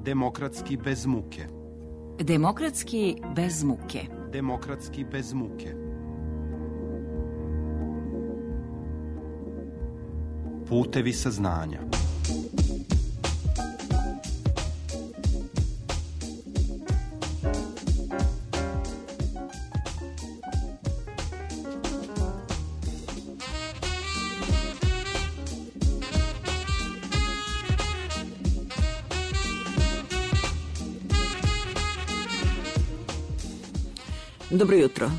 Demokratski bez muke. Demokratski bez muke. Demokratski bez muke. Putevi saznanja. Dobro jutro.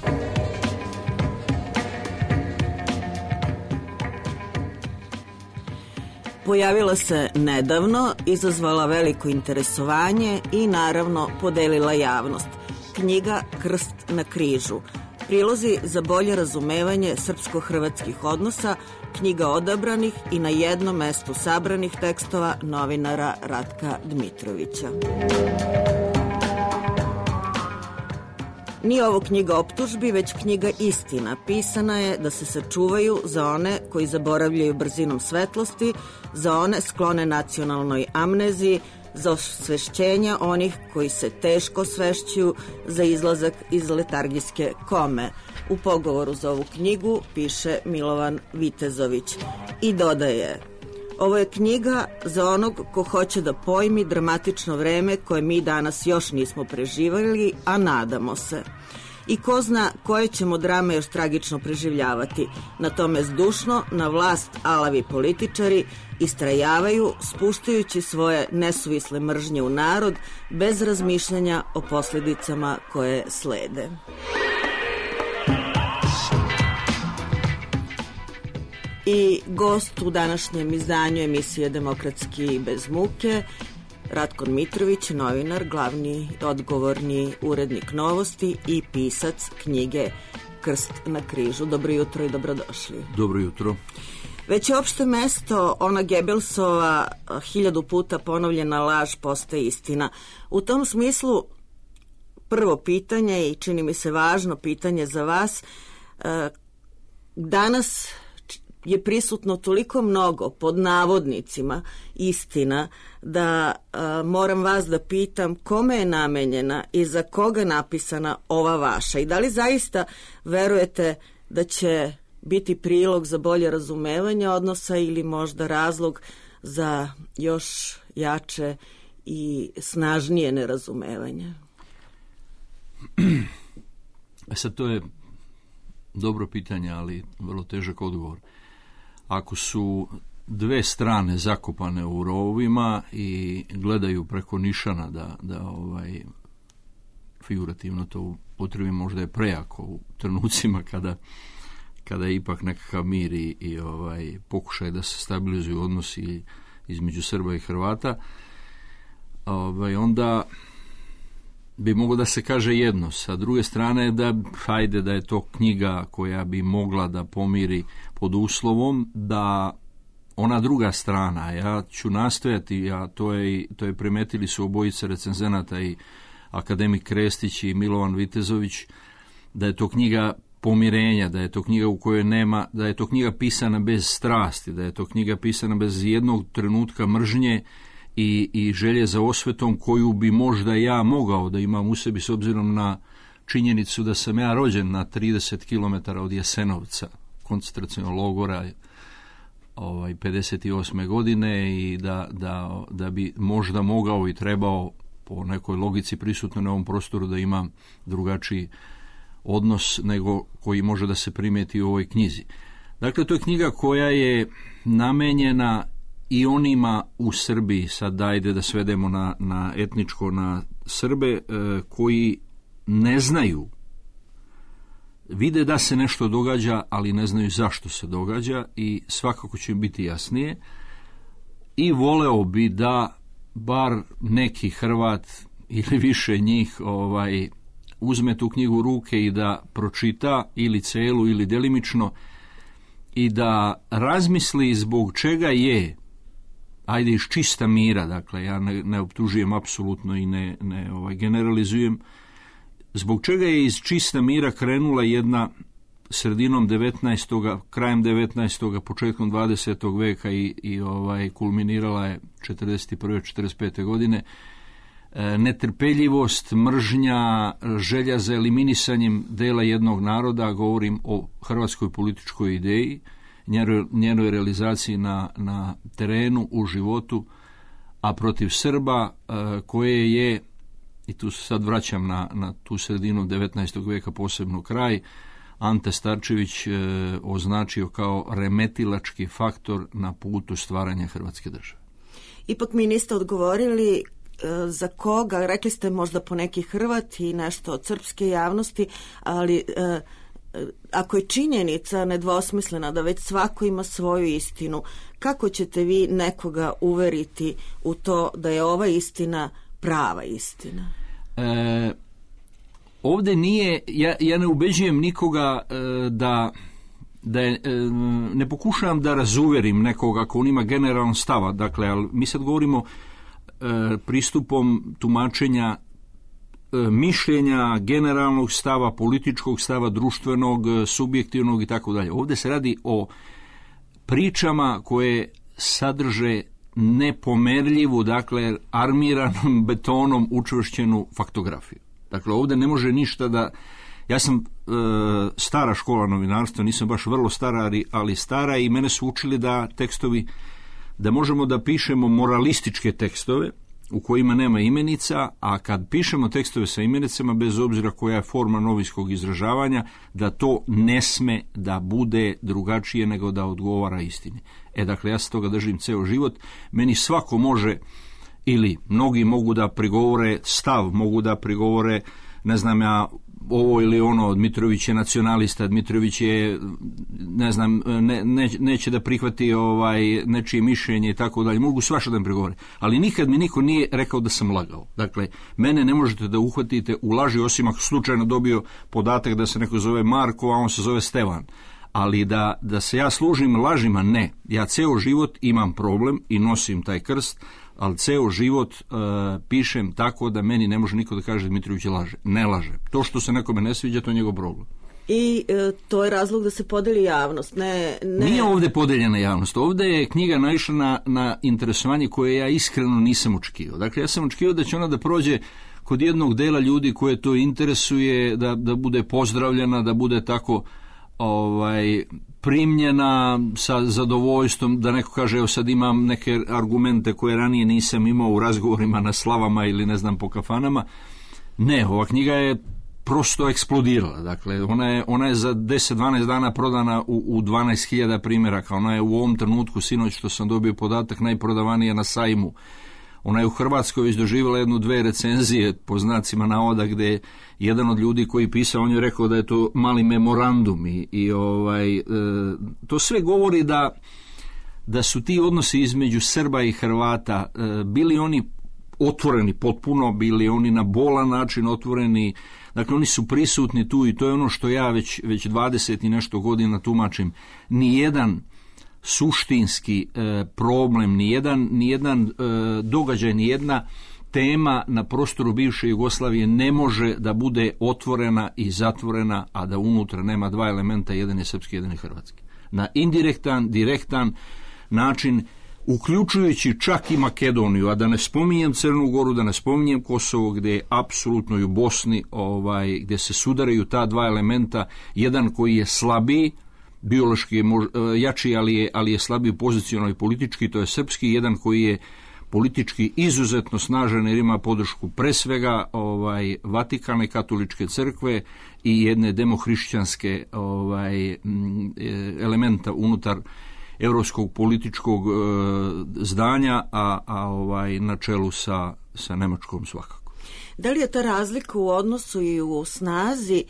Pojavila se nedavno, izazvala veliko interesovanje i naravno podelila javnost. Knjiga Krst na križu. Prilozi za bolje razumevanje srpsko-hrvatskih odnosa, knjiga odabranih i na jednom mestu sabranih tekstova novinara Ratka Dmitrovića. Nije ovo knjiga optužbi, već knjiga istina. Pisana je da se sačuvaju za one koji zaboravljaju brzinom svetlosti, za one sklone nacionalnoj amneziji, za osvešćenja onih koji se teško svešćuju, za izlazak iz letargijske kome. U pogovoru za ovu knjigu piše Milovan Vitezović i dodaje: ovo je knjiga za onog ko hoće da pojmi dramatično vreme koje mi danas još nismo preživali, a nadamo se. I ko zna koje ćemo drame još tragično preživljavati. Na tome zdušno, na vlast alavi političari istrajavaju, spuštajući svoje nesuvisle mržnje u narod, bez razmišljanja o posljedicama koje slede. I gost u današnjem izdanju emisije Demokratski bez muke, Ratko Dmitrović, novinar, glavni odgovorni urednik Novosti i pisac knjige Krst na križu. Dobro jutro i dobrodošli. Dobro jutro. Već je opšte mesto, ona Gebelsova 1000 puta ponovljena laž postaje istina. U tom smislu, prvo pitanje i čini mi se važno pitanje za vas, danas je prisutno toliko mnogo, pod navodnicima, istina, da moram vas da pitam kome je namenjena i za koga napisana ova vaša i da li zaista verujete da će biti prilog za bolje razumevanje odnosa ili možda razlog za još jače i snažnije nerazumevanje? Sad, to je dobro pitanje, ali vrlo težak odgovor. Ako su dve strane zakopane u rovovima i gledaju preko nišana da figurativno to potrebi, možda je prejako u trenucima kada je ipak nekakav mir i pokušaj da se stabilizuju odnosi između Srba i Hrvata, onda bi moglo da se kaže jedno. Sa druge strane, da je to knjiga koja bi mogla da pomiri pod uslovom da ona druga strana, ja ću nastojati, to je primetili su obojica recenzenata, i akademik Krestić i Milovan Vitezović, da je to knjiga pomirenja, da je to knjiga u kojoj nema, da je to knjiga pisana bez strasti, da je to knjiga pisana bez jednog trenutka mržnje i želje za osvetom koju bi možda ja mogao da imam u sebi, s obzirom na činjenicu da sam ja rođen na 30 km od Jasenovca, koncentracionog logora, 58. godine, i da bi možda mogao i trebao po nekoj logici prisutno na ovom prostoru da imam drugačiji odnos nego koji može da se primijeti u ovoj knjizi. Dakle, to je knjiga koja je namenjena i onima u Srbiji, sad dajde da svedemo na etničko, na Srbe, koji ne znaju, vide da se nešto događa, ali ne znaju zašto se događa, i svakako će im biti jasnije. I voleo bi da bar neki Hrvat ili više njih uzme tu knjigu u ruke i da pročita ili celu ili delimično i da razmisli zbog čega je, ajde iz čista mira, dakle ja ne optužujem apsolutno i ne generalizujem, zbog čega je iz čista mira krenula jedna sredinom 19. krajem 19. početkom 20. veka i kulminirala je 41. 45. godine. Netrpeljivost, mržnja, želja za eliminisanjem dela jednog naroda, govorim o hrvatskoj političkoj ideji, njenoj realizaciji na terenu, u životu, a protiv Srba koje je, i tu se sad vraćam na tu sredinu 19. veka, posebno kraj, Ante Starčević označio kao remetilački faktor na putu stvaranja Hrvatske države. Ipak mi niste odgovorili za koga, rekli ste možda po neki Hrvat i nešto od srpske javnosti, ali ako je činjenica nedvosmislena da već svako ima svoju istinu, kako ćete vi nekoga uveriti u to da je ova istina prava istina? Ovdje nije, ja ne ubeđujem nikoga da ne pokušavam da razuverim nekoga ako on ima generalan stava, dakle, ali mi sad govorimo pristupom tumačenja mišljenja, generalnog stava, političkog stava, društvenog, subjektivnog i tako dalje. Ovdje se radi o pričama koje sadrže nepomerljivu, dakle, armiranom betonom učvršćenu faktografiju. Dakle, ovdje ne može ništa da... Ja sam stara škola novinarstva, nisam baš vrlo stara, ali stara, i mene su učili da tekstovi, da možemo da pišemo moralističke tekstove u kojima nema imenica, a kad pišemo tekstove sa imenicama, bez obzira koja je forma novinskog izražavanja, da to ne sme da bude drugačije nego da odgovara istini. Dakle, ja se toga držim ceo život. Meni svako može, ili mnogi mogu da prigovore stav, mogu da prigovore, ne znam ja, ovo ili ono, Dmitrović je nacionalista, Dmitrović je, ne znam, neće da prihvati nečije mišljenje i tako dalje, mogu svašta da mi prigovore, ali nikad mi niko nije rekao da sam lagao. Dakle, mene ne možete da uhvatite u laži, osim ako slučajno dobio podatak da se neko zove Marko, a on se zove Stevan. Ali da se ja služim lažima, ne. Ja ceo život imam problem i nosim taj krst, ali ceo život pišem tako da meni ne može niko da kaže Dmitrović laže. Ne laže. To što se nekome ne sviđa, to je njegov problem. I to je razlog da se podeli javnost. Nije ovdje podeljena javnost. Ovdje je knjiga naišla na interesovanje koje ja iskreno nisam očekivao. Dakle, ja sam očekivao da će ona da prođe kod jednog dela ljudi koje to interesuje, da bude pozdravljena, da bude tako primljena sa zadovoljstvom, da neko kaže evo sad imam neke argumente koje ranije nisam imao u razgovorima na slavama ili ne znam po kafanama. Ne, ova knjiga je prosto eksplodirala. Dakle, ona je za 10-12 dana prodana u 12.000 primjeraka. Ona je u ovom trenutku, sinoć što sam dobio podatak, najprodavanija na sajmu. Ona je u Hrvatskoj već doživjela 1-2 recenzije, po znacima navoda, gde jedan od ljudi koji pisao, on je rekao da je to mali memorandum i to sve govori da su ti odnosi između Srba i Hrvata bili oni otvoreni potpuno, bili oni na bolan način otvoreni, dakle oni su prisutni tu i to je ono što ja već 20 i nešto godina tumačim. Nijedan suštinski problem, nijedan događaj, nijedna tema na prostoru bivše Jugoslavije ne može da bude otvorena i zatvorena, a da unutra nema dva elementa, jedan je srpski, jedan je hrvatski. Na indirektan, direktan način, uključujući čak i Makedoniju, a da ne spominjem Crnu Goru, da ne spominjem Kosovo, gdje je apsolutno i u Bosni, gdje se sudaraju ta dva elementa, jedan koji je slabiji, biološki je jači, ali je slabiji pozicionalno i politički, to je srpski, jedan koji je politički izuzetno snažan jer ima podršku pre svega Vatikane, katoličke crkve i jedne demohrišćanske elementa unutar europskog političkog zdanja, a na čelu sa Nemačkom svakako. Da li je ta razlika u odnosu i u snazi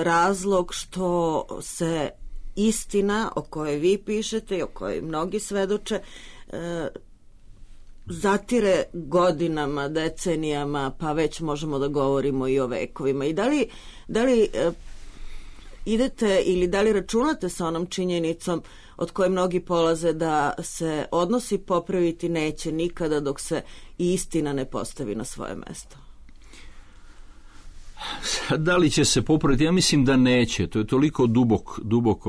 razlog što se istina o kojoj vi pišete i o kojoj mnogi svedoče zatire godinama, decenijama, pa već možemo da govorimo i o vekovima? I da li idete ili da li računate sa onom činjenicom od koje mnogi polaze da se odnosi popraviti neće nikada dok se istina ne postavi na svoje mesto? Da li će se popraviti? Ja mislim da neće. To je toliko dubok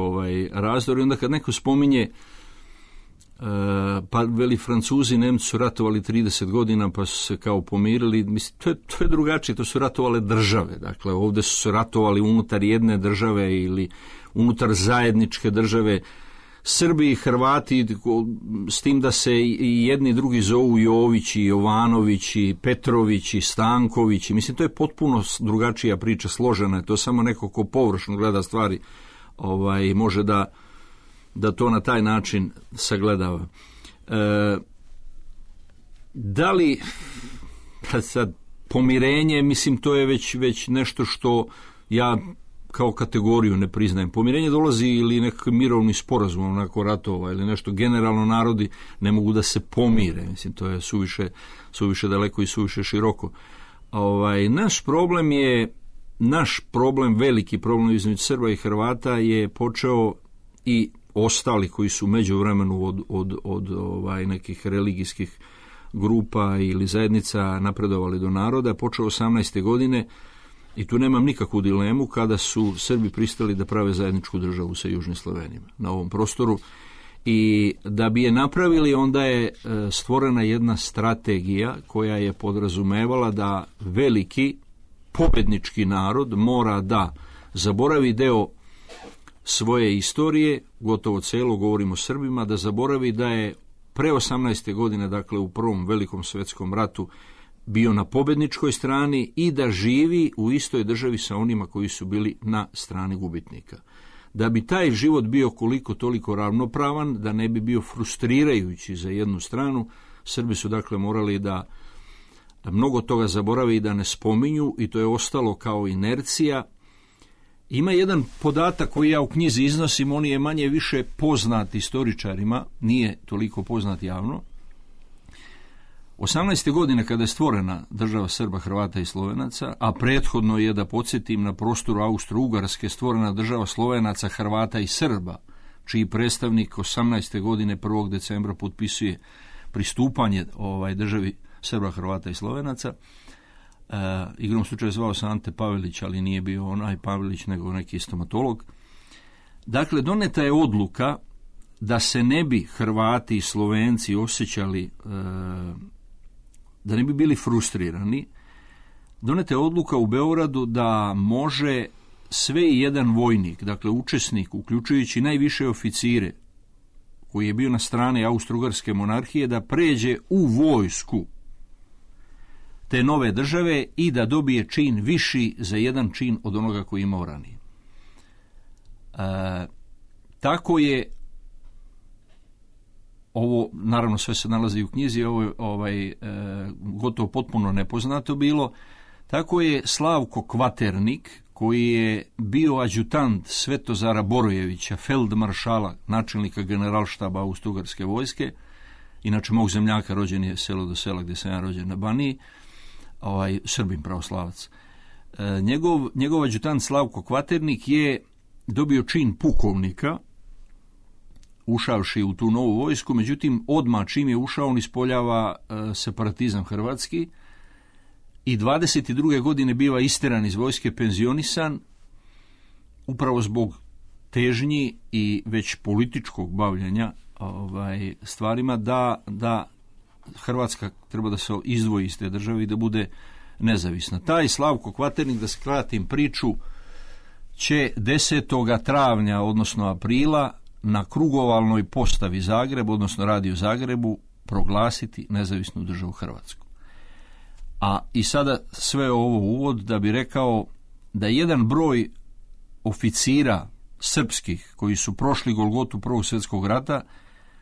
razdor. I onda kad neko spominje, pa veli Francuzi, Nemci su ratovali 30 godina pa su se kao pomirili. Mislim, to je drugačije. To su ratovale države. Dakle, ovdje su se ratovali unutar jedne države ili unutar zajedničke države. Srbi i Hrvati, s tim da se i jedni i drugi zovu Jovići, Jovanovići, Petrovići, Stankovići. Mislim, to je potpuno drugačija priča, složena je. To samo neko ko površno gleda stvari može da to na taj način sagledava. Da li sad pomirenje, mislim, to je već nešto što ja kao kategoriju ne priznajem. Pomirenje dolazi ili nekakvi mirovni sporazum nakon ratova ili nešto. Generalno narodi ne mogu da se pomire. Mislim, to je suviše daleko i suviše široko. Naš problem, veliki problem između Srba i Hrvata je počeo i ostali koji su u međuvremenu od nekih religijskih grupa ili zajednica napredovali do naroda, počeo 18. godine. I tu nemam nikakvu dilemu kada su Srbi pristali da prave zajedničku državu sa Južnim Slovenima na ovom prostoru. I da bi je napravili, onda je stvorena jedna strategija koja je podrazumevala da veliki pobednički narod mora da zaboravi deo svoje istorije, gotovo celo, govorimo o Srbima, da zaboravi da je pre 18. godine, dakle u Prvom velikom svetskom ratu, bio na pobedničkoj strani i da živi u istoj državi sa onima koji su bili na strani gubitnika. Da bi taj život bio koliko toliko ravnopravan, da ne bi bio frustrirajući za jednu stranu, Srbi su dakle morali da mnogo toga zaboravi i da ne spominju, i to je ostalo kao inercija. Ima jedan podatak koji ja u knjizi iznosim, on je manje više poznat istoričarima, nije toliko poznat javno. 18. godine kada je stvorena država Srba, Hrvata i Slovenaca, a prethodno je, da podsjetim, na prostoru Austro-Ugarske stvorena država Slovenaca, Hrvata i Srba, čiji predstavnik 18. godine 1. decembra potpisuje pristupanje državi Srba, Hrvata i Slovenaca. Igrom slučaja zvao se Ante Pavelić, ali nije bio onaj Pavelić, nego neki stomatolog. Dakle, doneta je odluka da se ne bi Hrvati i Slovenci osjećali, da ne bi bili frustrirani. Doneta je odluka u Beogradu da može sve i jedan vojnik, dakle učesnik, uključujući najviše oficire, koji je bio na strani Austro-Ugarske monarhije, da pređe u vojsku te nove države i da dobije čin viši za jedan čin od onoga koji imao ranije. Tako je, ovo naravno sve se nalazi u knjizi, ovo je gotovo potpuno nepoznato bilo, tako je Slavko Kvaternik, koji je bio adjutant Svetozara Borojevića, feldmaršala, načelnika generalštaba Austro-Ugarske vojske, inače mog zemljaka, rođen je selo do sela gdje sam ja rođen na Baniji, Srbin pravoslavac. Njegov adjutant Slavko Kvaternik je dobio čin pukovnika, ušavši u tu novu vojsku, međutim odmah čim je ušao on ispoljava separatizam hrvatski i 22. godine biva isteran iz vojske, penzionisan, upravo zbog težnji i već političkog bavljanja stvarima da Hrvatska treba da se izdvoji iz te države i da bude nezavisna. Taj Slavko Kvaternik, da skratim priču, će 10. travnja, odnosno aprila, na krugovalnoj postavi Zagreb, odnosno Radio Zagrebu, proglasiti nezavisnu državu Hrvatsku. A i sada sve ovo uvod da bi rekao da jedan broj oficira srpskih koji su prošli Golgotu Prvog svjetskog rata,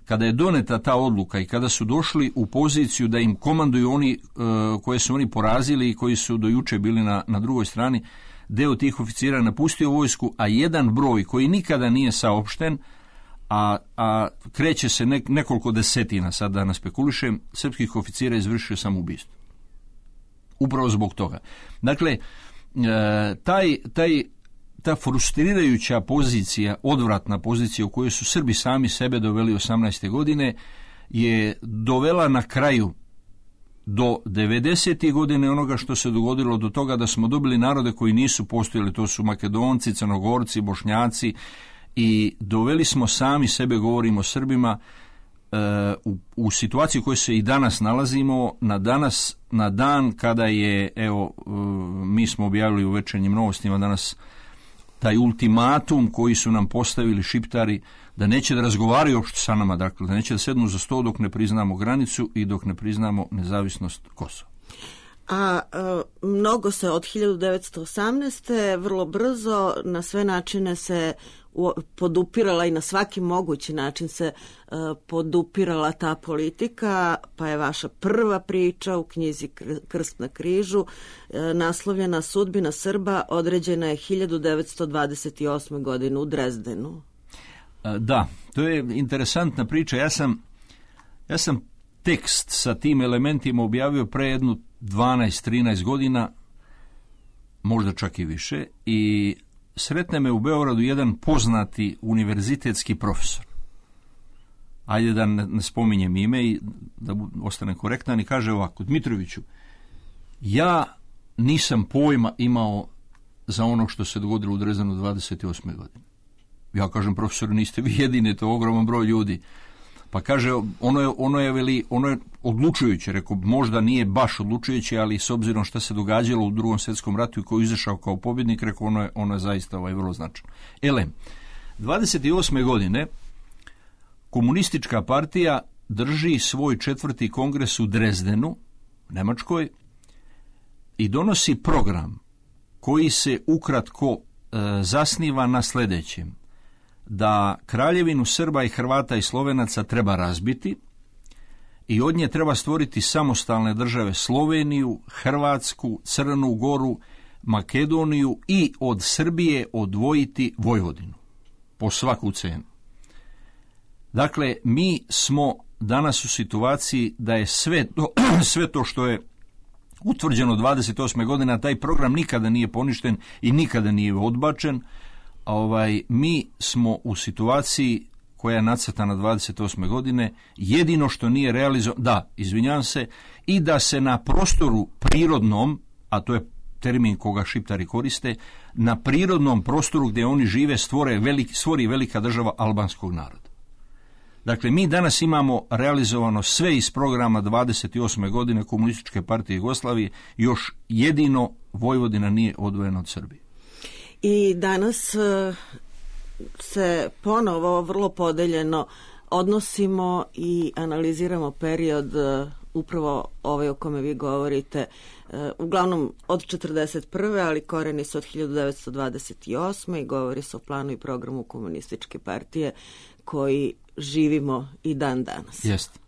kada je doneta ta odluka i kada su došli u poziciju da im komanduju oni koje su oni porazili i koji su do juče bili na drugoj strani, deo tih oficira napustio vojsku, a jedan broj koji nikada nije saopšten, a kreće se nekoliko desetina, sad da ne spekulišem, srpskih oficira izvršio samoubistvo. Upravo zbog toga. Dakle, ta frustrirajuća pozicija, odvratna pozicija u kojoj su Srbi sami sebe doveli 18. godine, je dovela na kraju do 90. godine onoga što se dogodilo, do toga da smo dobili narode koji nisu postojali, to su Makedonci, Crnogorci, Bošnjaci, i doveli smo sami sebe, govorimo o Srbima, u situaciji u kojoj se i danas nalazimo, na dan kada je, evo, mi smo objavili u Večernjim novostima danas taj ultimatum koji su nam postavili Šiptari, da neće da razgovaraju uopšte sa nama, dakle, da neće da sednu za sto dok ne priznamo granicu i dok ne priznamo nezavisnost Kosova. A mnogo se od 1918. vrlo brzo na sve načine se podupirala i na svaki mogući način se podupirala ta politika, pa je vaša prva priča u knjizi Krst na križu naslovljena Sudbina Srba određena je 1928. godine u Drezdenu. Da, to je interesantna priča. Ja sam tekst sa tim elementima objavio pre jednu 12-13 godina, možda čak i više, i sretne me u Beogradu jedan poznati univerzitetski profesor. Ajde da ne spominjem ime i da ostane korektan, i kaže ovako: Dmitroviću, ja nisam pojma imao za ono što se dogodilo u Drezdenu 28. godine. Ja kažem: profesoru, niste vi jedini, to je ogroman broj ljudi. Pa kaže, ono je odlučujuće. Rekao, možda nije baš odlučujuće, ali s obzirom što se događalo u Drugom svjetskom ratu i koji je izašao kao pobjednik, rekao, ono je zaista vrlo značajno. 28. godine komunistička partija drži svoj 4. kongres u Drezdenu, Nemačkoj, i donosi program koji se ukratko zasniva na sljedećem: da Kraljevinu Srba i Hrvata i Slovenaca treba razbiti i od nje treba stvoriti samostalne države Sloveniju, Hrvatsku, Crnu Goru, Makedoniju i od Srbije odvojiti Vojvodinu po svaku cenu. Dakle, mi smo danas u situaciji da je sve to što je utvrđeno 28. godina, taj program nikada nije poništen i nikada nije odbačen. Mi smo u situaciji koja je nacrtana 28. godine, jedino što nije realizovano, i da se na prostoru prirodnom, a to je termin koga Šiptari koriste, na prirodnom prostoru gdje oni žive stvori velika država albanskog naroda. Dakle, mi danas imamo realizovano sve iz programa 28. godine Komunističke partije Jugoslavije, još jedino Vojvodina nije odvojena od Srbije. I danas se ponovo vrlo podeljeno odnosimo i analiziramo period upravo ovaj o kome vi govorite, uglavnom od 1941. ali koreni su od 1928. i govori se o planu i programu Komunističke partije koji živimo i dan danas. Jeste.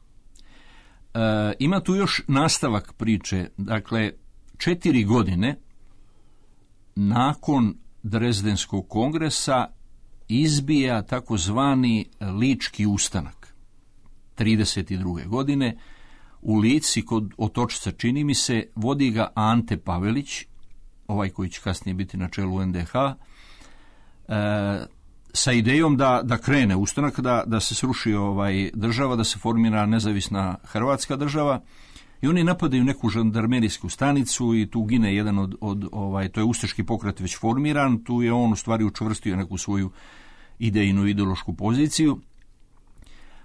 Ima tu još nastavak priče. Dakle, 4 godine nakon Drezdenskog kongresa izbija takozvani Lički ustanak 32. godine u Lici kod Otočca, čini mi se, vodi ga Ante Pavelić, ovaj koji će kasnije biti na čelu NDH, sa idejom da krene ustanak, da se sruši država, da se formira nezavisna Hrvatska država. I oni napadaju neku žandarmerijsku stanicu i tu gine jedan to je ustaški pokret već formiran, tu je on u stvari učvrstio neku svoju idejnu ideološku poziciju.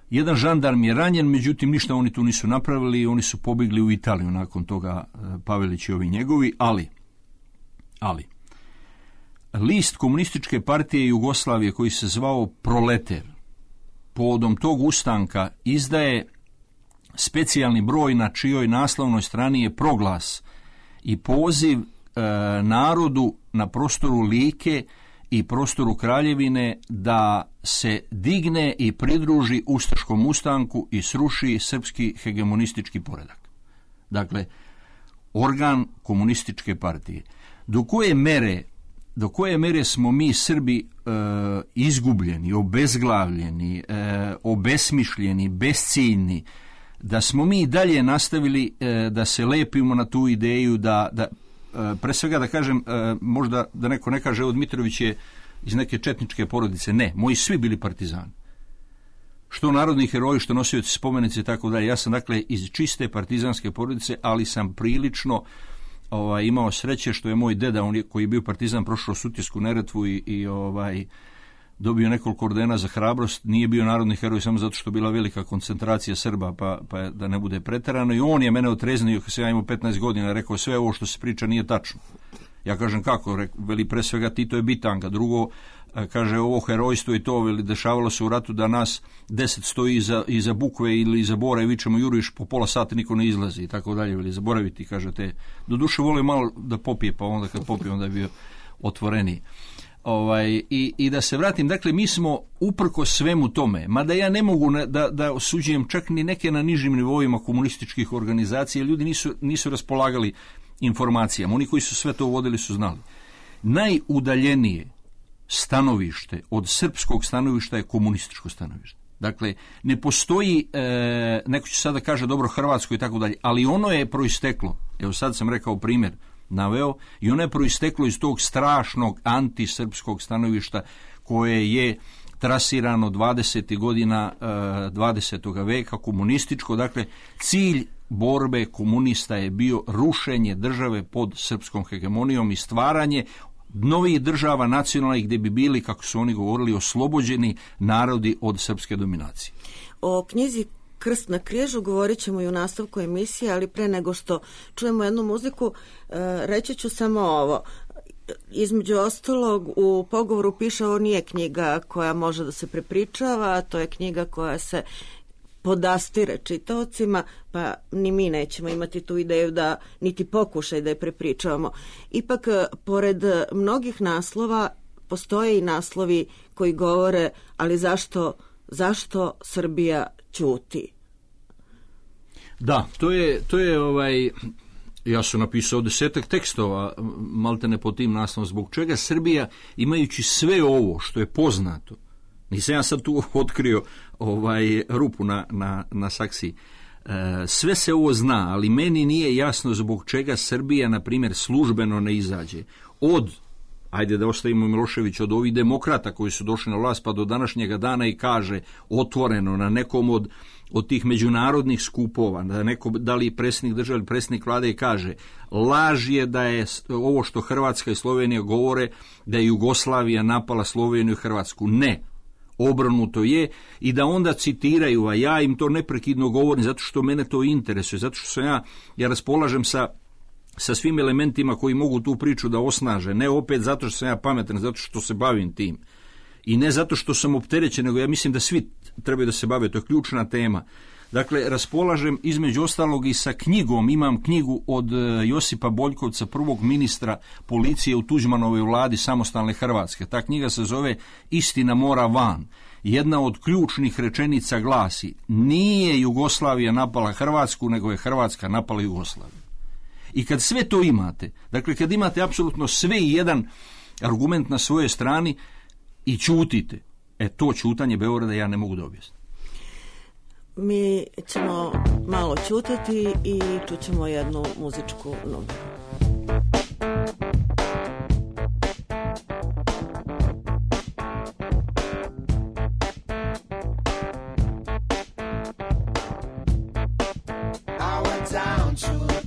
Jedan žandarm je ranjen, međutim ništa oni tu nisu napravili, oni su pobjegli u Italiju nakon toga, Pavelić i ovi njegovi, ali list Komunističke partije Jugoslavije koji se zvao Proleter povodom tog ustanka izdaje specijalni broj na čijoj naslovnoj strani je proglas i poziv narodu na prostoru Like i prostoru Kraljevine da se digne i pridruži ustaškom ustanku i sruši srpski hegemonistički poredak. Dakle, organ Komunističke partije. Do koje mere smo mi Srbi izgubljeni, obezglavljeni, obesmišljeni, besciljni, da smo mi dalje nastavili da se lepimo na tu ideju da pre svega da kažem, možda da neko ne kaže, Dmitrović je iz neke četničke porodice. Ne, moji svi bili partizani. što narodni heroji, što nosioci spomenice i tako dalje. Ja sam dakle iz čiste partizanske porodice, ali sam prilično imao sreće što je moj deda, koji je bio partizan, prošao Sutjesku Neretvu i dobio nekoliko ordena za hrabrost. Nije bio narodni heroj samo zato što je bila velika koncentracija Srba, pa da ne bude preterano. I on je mene otreznio kad sam ja imao 15 godina, rekao sve ovo što se priča nije tačno. Ja kažem kako, veli pre svega Tito je bitanga, drugo kaže ovo herojstvo i to, veli dešavalo se u ratu da nas 10 stoji iza bukve ili iza bora i vičemo juriš, po pola sata niko ne izlazi i tako dalje, veli zaboraviti, kaže te. Doduše volio malo da popije, pa onda kad popije onda je bio otvoreniji. I da se vratim, dakle mi smo uprko svemu tome, mada ja ne mogu da osuđujem čak ni neke na nižim nivoima komunističkih organizacija, ljudi nisu raspolagali informacijama, oni koji su sve to vodili su znali. Najudaljenije stanovište od srpskog stanovišta je komunističko stanovište. Dakle, ne postoji, neko će sada kaže dobro Hrvatsko i tako dalje, ali ono je proisteklo, evo sad sam rekao primjer, naveo, i ono je proisteklo iz tog strašnog antisrpskog stanovišta koje je trasirano 20. godina 20. veka, komunističko. Dakle, cilj borbe komunista je bio rušenje države pod srpskom hegemonijom i stvaranje novih država nacionalnih gdje bi bili, kako su oni govorili, oslobođeni narodi od srpske dominacije. O knjizi Krst na križu govorit ćemo i u nastavku emisije, ali pre nego što čujemo jednu muziku, reći ću samo ovo. Između ostalog, u pogovoru piše ovo nije knjiga koja može da se prepričava, to je knjiga koja se podastire čitaocima, pa ni mi nećemo imati tu ideju da niti pokušaj da je prepričavamo. Ipak, pored mnogih naslova, postoje i naslovi koji govore, ali zašto Srbija ćuti? Da, to je ja sam napisao 10 tekstova, maltene po tim naslovom, zbog čega Srbija, imajući sve ovo što je poznato, nisam ja sad tu otkrio rupu na saksiji, sve se ovo zna, ali meni nije jasno zbog čega Srbija, na primjer, službeno ne izađe ajde da ostavimo Milošević, od ovih demokrata koji su došli na vlast pa do današnjega dana i kaže otvoreno na nekom od tih međunarodnih skupova, da li predsjednik države ili predsjednik vlade, i kaže laž je da je ovo što Hrvatska i Slovenija govore da je Jugoslavija napala Sloveniju i Hrvatsku. Ne, obrnuto je, i da onda citiraju, a ja im to neprekidno govorim zato što mene to interesuje, zato što sam ja raspolažem sa svim elementima koji mogu tu priču da osnaže, ne opet zato što sam ja pametan, zato što se bavim tim. I ne zato što sam opterećen, nego ja mislim da svi trebaju da se bave, to je ključna tema. Dakle, raspolažem između ostalog i sa knjigom, imam knjigu od Josipa Boljkovca, prvog ministra policije u Tuđmanovoj vladi samostalne Hrvatske. Ta knjiga se zove Istina mora van. Jedna od ključnih rečenica glasi: nije Jugoslavija napala Hrvatsku, nego je Hrvatska napala Jugoslaviju. I kad sve to imate, dakle kad imate apsolutno sve i jedan argument na svojoj strani i ćutite, to ćutanje Beograda ja ne mogu da objasnim. Mi ćemo malo ćutati i čućemo jednu muzičku numeru.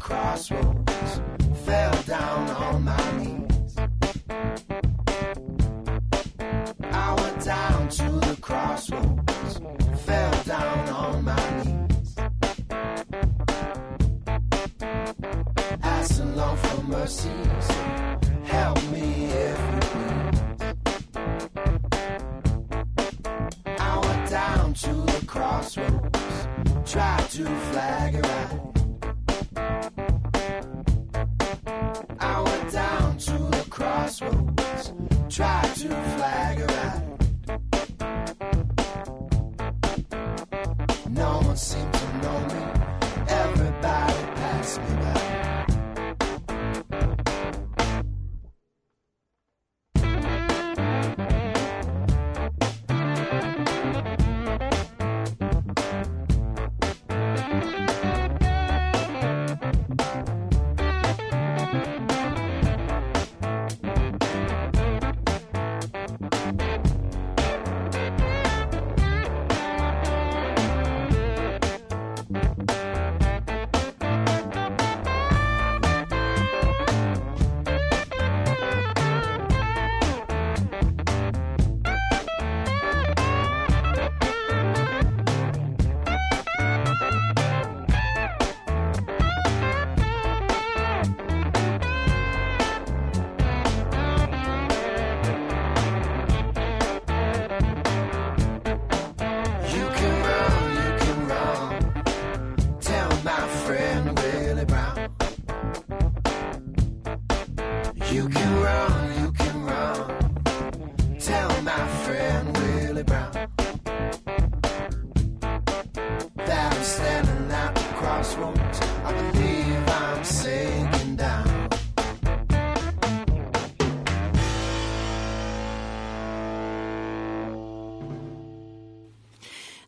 Crossroads, fell down on my knees. I went down to the crossroads, fell down on my knees. Asking Lord for mercy, so help me if you please. I went down to the crossroads, tried to flag a ride. Crossroads, try to flag a ride. No one seemed to know me, everybody passed me by.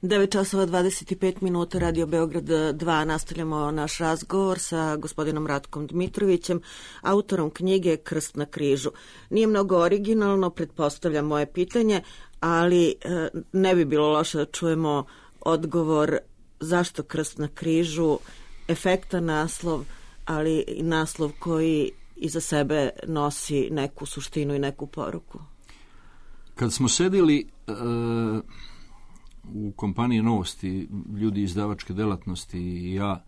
9 časova 25 minuta, Radio Beograd 2. Nastavljamo naš razgovor sa gospodinom Ratkom Dmitrovićem, autorom knjige Krst na križu. Nije mnogo originalno, pretpostavljam moje pitanje, ali ne bi bilo loše da čujemo odgovor zašto Krst na križu, efektan naslov, ali i naslov koji iza sebe nosi neku suštinu i neku poruku. Kad smo sedili u kompaniji Novosti, ljudi izdavačke delatnosti i ja,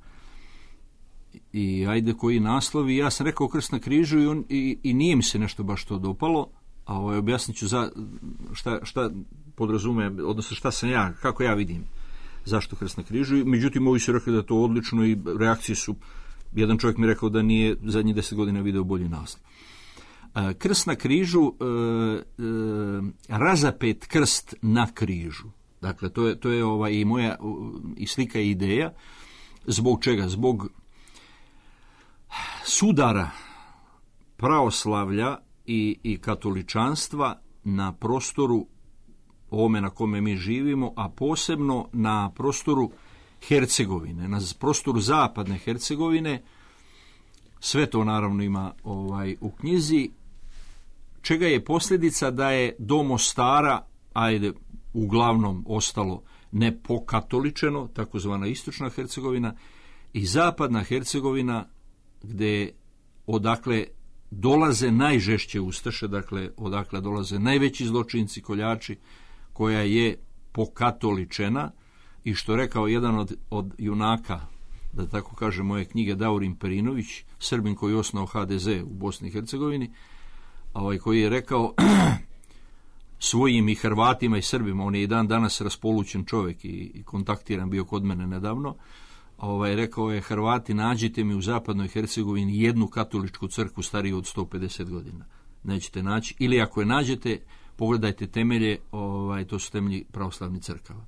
i ajde koji naslovi, ja sam rekao Krst na križu i nije mi se nešto baš to dopalo, a objasnit ću šta podrazume, odnosno šta sam ja, kako ja vidim zašto Krst na križu. Međutim, ovi su rekli da je to odlično i reakcije su, jedan čovjek mi rekao da nije zadnjih 10 godina video bolji naslov. Krst na križu, razapet krst na križu. Dakle, to je i moja i slika i ideja. Zbog čega? Zbog sudara pravoslavlja i katoličanstva na prostoru ovome na kome mi živimo, a posebno na prostoru Hercegovine, na prostoru zapadne Hercegovine. Sve to naravno ima u knjizi, čega je posljedica da je do Mostara, uglavnom ostalo nepokatoličeno, takozvana istočna Hercegovina, i zapadna Hercegovina, odakle dolaze najžešće ustaše, dakle odakle dolaze najveći zločinci, koljači, koja je pokatoličena, i što rekao jedan od junaka, da tako kaže, moje knjige, Daurin Perinović, Srbin koji je osnovao HDZ u Bosni i Hercegovini, koji je rekao svojim i Hrvatima i Srbima, on je i dan danas raspolućen čovjek i kontaktiran bio kod mene nedavno, rekao je: Hrvati, nađite mi u zapadnoj Hercegovini jednu katoličku crkvu stariju od 150 godina. Nećete naći, ili ako je nađete, pogledajte temelje, to su temelji pravoslavnih crkava.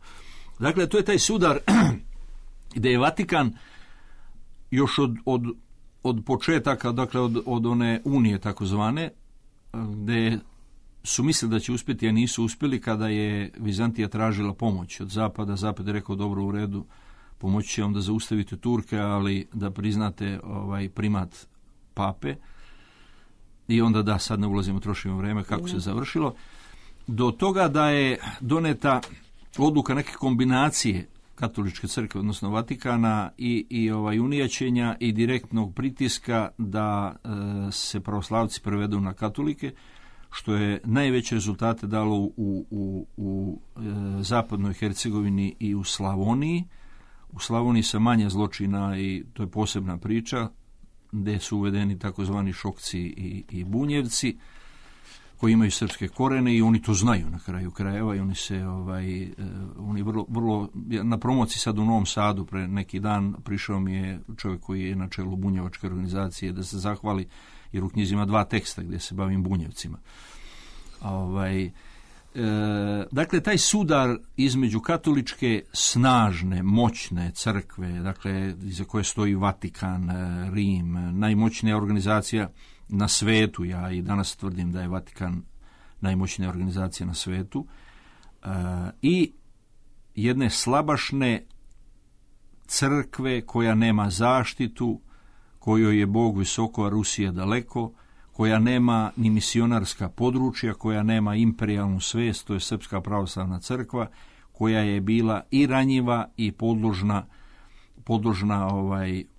Dakle, to je taj sudar gdje je Vatikan još od početaka, dakle od one unije takozvane, gdje su mislili da će uspjeti, a nisu uspjeli, kada je Vizantija tražila pomoć od Zapada. Zapad je rekao: dobro, u redu, pomoći će vam da zaustavite Turke, ali da priznate primat pape. I onda da, sad ne ulazimo, trošimo vrijeme kako se završilo. Do toga da je doneta odluka neke kombinacije katoličke crkve, odnosno Vatikana i unijaćenja i direktnog pritiska da se pravoslavci prevedu na katolike, što je najveće rezultate dalo u zapadnoj Hercegovini i u Slavoniji. U Slavoniji sa manje zločina, i to je posebna priča, gdje su uvedeni takozvani Šokci i Bunjevci, koji imaju srpske korene, i oni to znaju na kraju krajeva, i oni se oni vrlo na promociji sad u Novom Sadu pre neki dan prišao mi je čovjek koji je na čelu bunjevačke organizacije da se zahvali, jer u knjizi ima 2 teksta gdje se bavim Bunjevcima. Dakle, taj sudar između katoličke snažne, moćne crkve, dakle iza koje stoji Vatikan, Rim, najmoćnija organizacija na svetu, ja i danas tvrdim da je Vatikan najmoćnija organizacija na svetu, i jedne slabašne crkve koja nema zaštitu, kojoj je Bog visoko, a Rusija daleko, koja nema ni misionarska područja, koja nema imperijalnu svest, to je Srpska pravoslavna crkva, koja je bila i ranjiva i podložna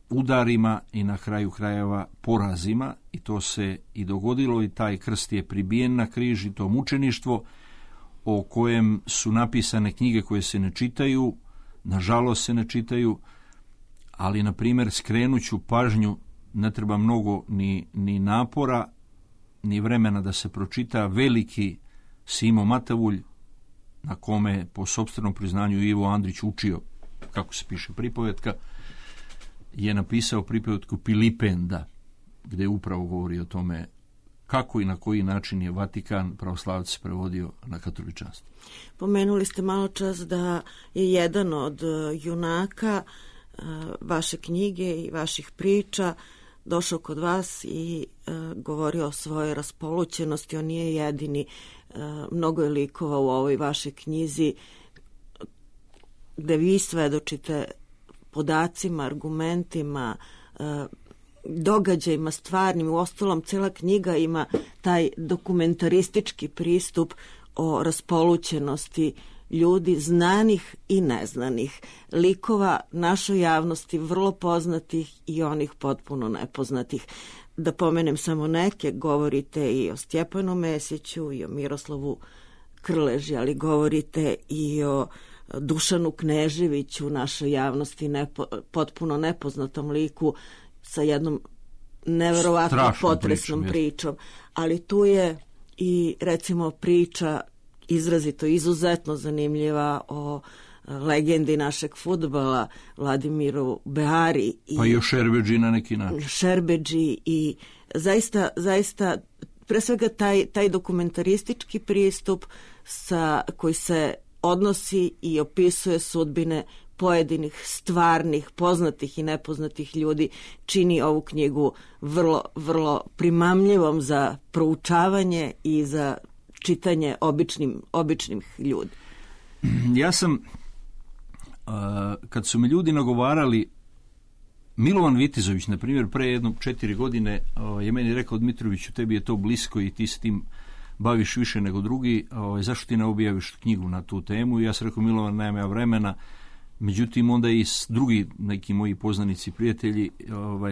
udarima i na kraju krajeva porazima, i to se i dogodilo, i taj krst je pribijen na križ, i to mučeništvo o kojem su napisane knjige koje se ne čitaju, nažalost se ne čitaju, ali na primjer skrenuću pažnju, ne treba mnogo ni napora ni vremena da se pročita veliki Simo Matavulj, na kome po sopstvenom priznanju Ivo Andrić učio kako se piše pripovetka, je napisao pripovetku Pilipenda, gdje upravo govori o tome kako i na koji način je Vatikan pravoslavci prevodio na katoličanstvo. Pomenuli ste malo čas da je jedan od junaka vaše knjige i vaših priča došao kod vas i govorio o svojoj raspolućenosti. On nije jedini, mnogo je likova u ovoj vašoj knjizi gde vi svedočite podacima, argumentima, događajima stvarnim. Uostalom, cela knjiga ima taj dokumentaristički pristup o raspolućenosti ljudi znanih i neznanih, likova našoj javnosti, vrlo poznatih i onih potpuno nepoznatih. Da pomenem samo neke, govorite i o Stjepanu Mesiću i o Miroslavu Krleži, ali govorite i o Dušanu Kneževiću, našoj javnosti potpuno nepoznatom liku sa jednom neverovatno potresnom pričom. Ali tu je i recimo priča izrazito, izuzetno zanimljiva o legendi našeg fudbala Vladimiru Beari. Pa i o Šerbedži na neki način. Šerbedži i zaista pre svega taj dokumentaristički pristup koji se odnosi i opisuje sudbine pojedinih stvarnih, poznatih i nepoznatih ljudi, čini ovu knjigu vrlo, vrlo primamljivom za proučavanje i za čitanje običnim ljudi. Ja sam, kad su mi ljudi nagovarali, Milovan Vitizović, na primjer, pre 4 godine je meni rekao: Dmitroviću, tebi je to blisko i ti s tim baviš više nego drugi, zašto ti ne objaviš knjigu na tu temu? I ja sam rekao: Milovan, nemam ja vremena. Međutim, onda i drugi neki moji poznanici, prijatelji,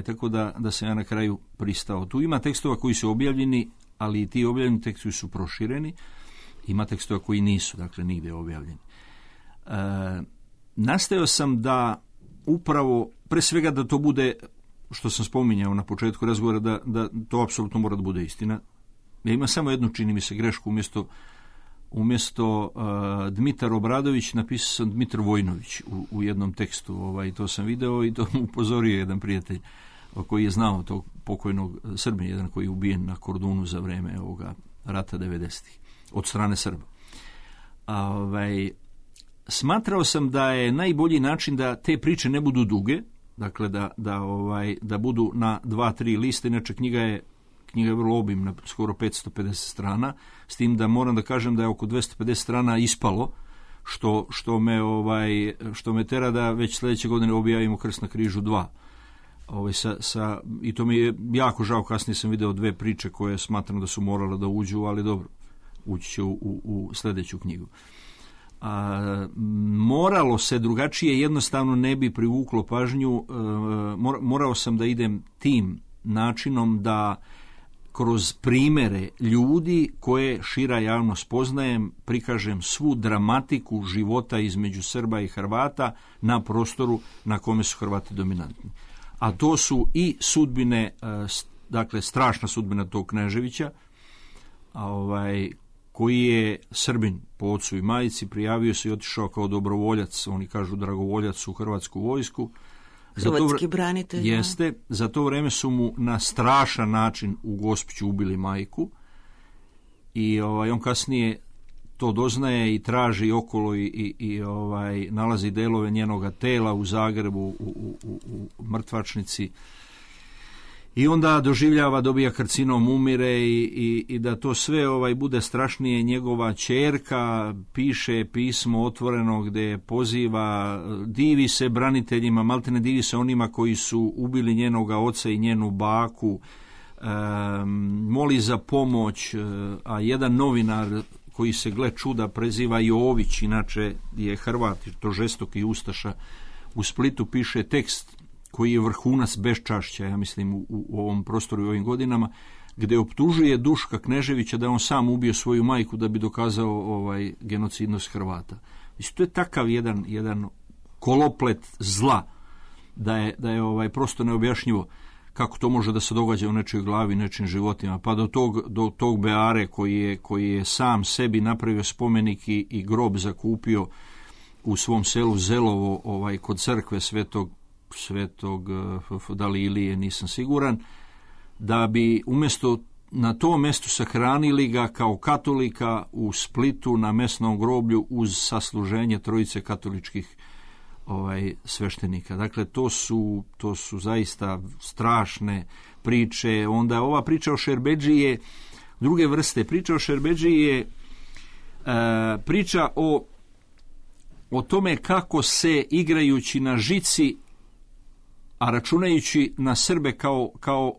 tako da sam ja na kraju pristao. Tu ima tekstova koji su objavljeni, ali i ti objavljeni tekstovi su prošireni. Ima tekstova koji nisu, dakle, nigde objavljeni. Nastojao sam da upravo, pre svega da to bude, što sam spominjao na početku razgovora, da to apsolutno mora da bude istina. Ja imam samo jednu, čini mi se, grešku, umjesto Dmitar Obradović napisao sam Dmitar Vojnović u jednom tekstu. To sam video i to mu upozorio jedan prijatelj koji je znao tog pokojnog Srbina, jedan koji je ubijen na Kordunu za vreme ovoga rata 90-ih od strane Srba. Smatrao sam da je najbolji način da te priče ne budu duge, dakle da budu na 2-3 liste. Inače knjiga je vrlo obimna, skoro 550 strana, s tim da moram da kažem da je oko 250 strana ispalo, što me tera da već sljedeće godine objavimo Krst na križu 2. I to mi je jako žao, kasnije sam video 2 priče koje smatram da su morale da uđu, ali dobro, ući će u sljedeću knjigu. Moralo se drugačije, jednostavno ne bi privuklo pažnju. Morao sam da idem tim načinom da kroz primere ljudi koje šira javnost poznajem prikažem svu dramatiku života između Srba i Hrvata na prostoru na kome su Hrvati dominantni. A to su i sudbine, dakle strašna sudbina tog Kneževića, koji je Srbin po ocu i majici, prijavio se i otišao kao dobrovoljac, oni kažu dragovoljac, u Hrvatsku vojsku. Hrvatski branitelj. Jeste, za to vreme su mu na strašan način u Gospiću ubili majku i on kasnije to doznaje i traži okolo i nalazi delove njenoga tela u Zagrebu u mrtvačnici. I onda dobija karcinom, umire i da to sve bude strašnije. Njegova ćerka piše pismo otvoreno gdje poziva, divi se braniteljima, maltene divi se onima koji su ubili njenoga oca i njenu baku, moli za pomoć, a jedan novinar koji se, gle čuda, preziva Jović, inače je Hrvat, to žestoki ustaša, u Splitu piše tekst koji je vrhunac beščašća, ja mislim, u ovom prostoru i ovim godinama, gdje optužuje Duška Kneževića da on sam ubio svoju majku da bi dokazao genocidnost Hrvata. Mislim, to je takav jedan koloplet zla da je prosto neobjašnjivo kako to može da se događa u nečijoj glavi, nečijim životima, pa do tog Beare koji je sam sebi napravio spomenik i grob zakupio u svom selu Zelovo, kod crkve svetog da li Ilije, nisam siguran, da bi umjesto na tom mjestu sahranili ga kao katolika u Splitu na mesnom groblju uz sasluženje 3 katoličkih sveštenika. Dakle, to su zaista strašne priče. Onda ova priča o Šerbedži je druge vrste. Priča o Šerbedži je priča o o tome kako se igrajući na žici, a računajući na Srbe kao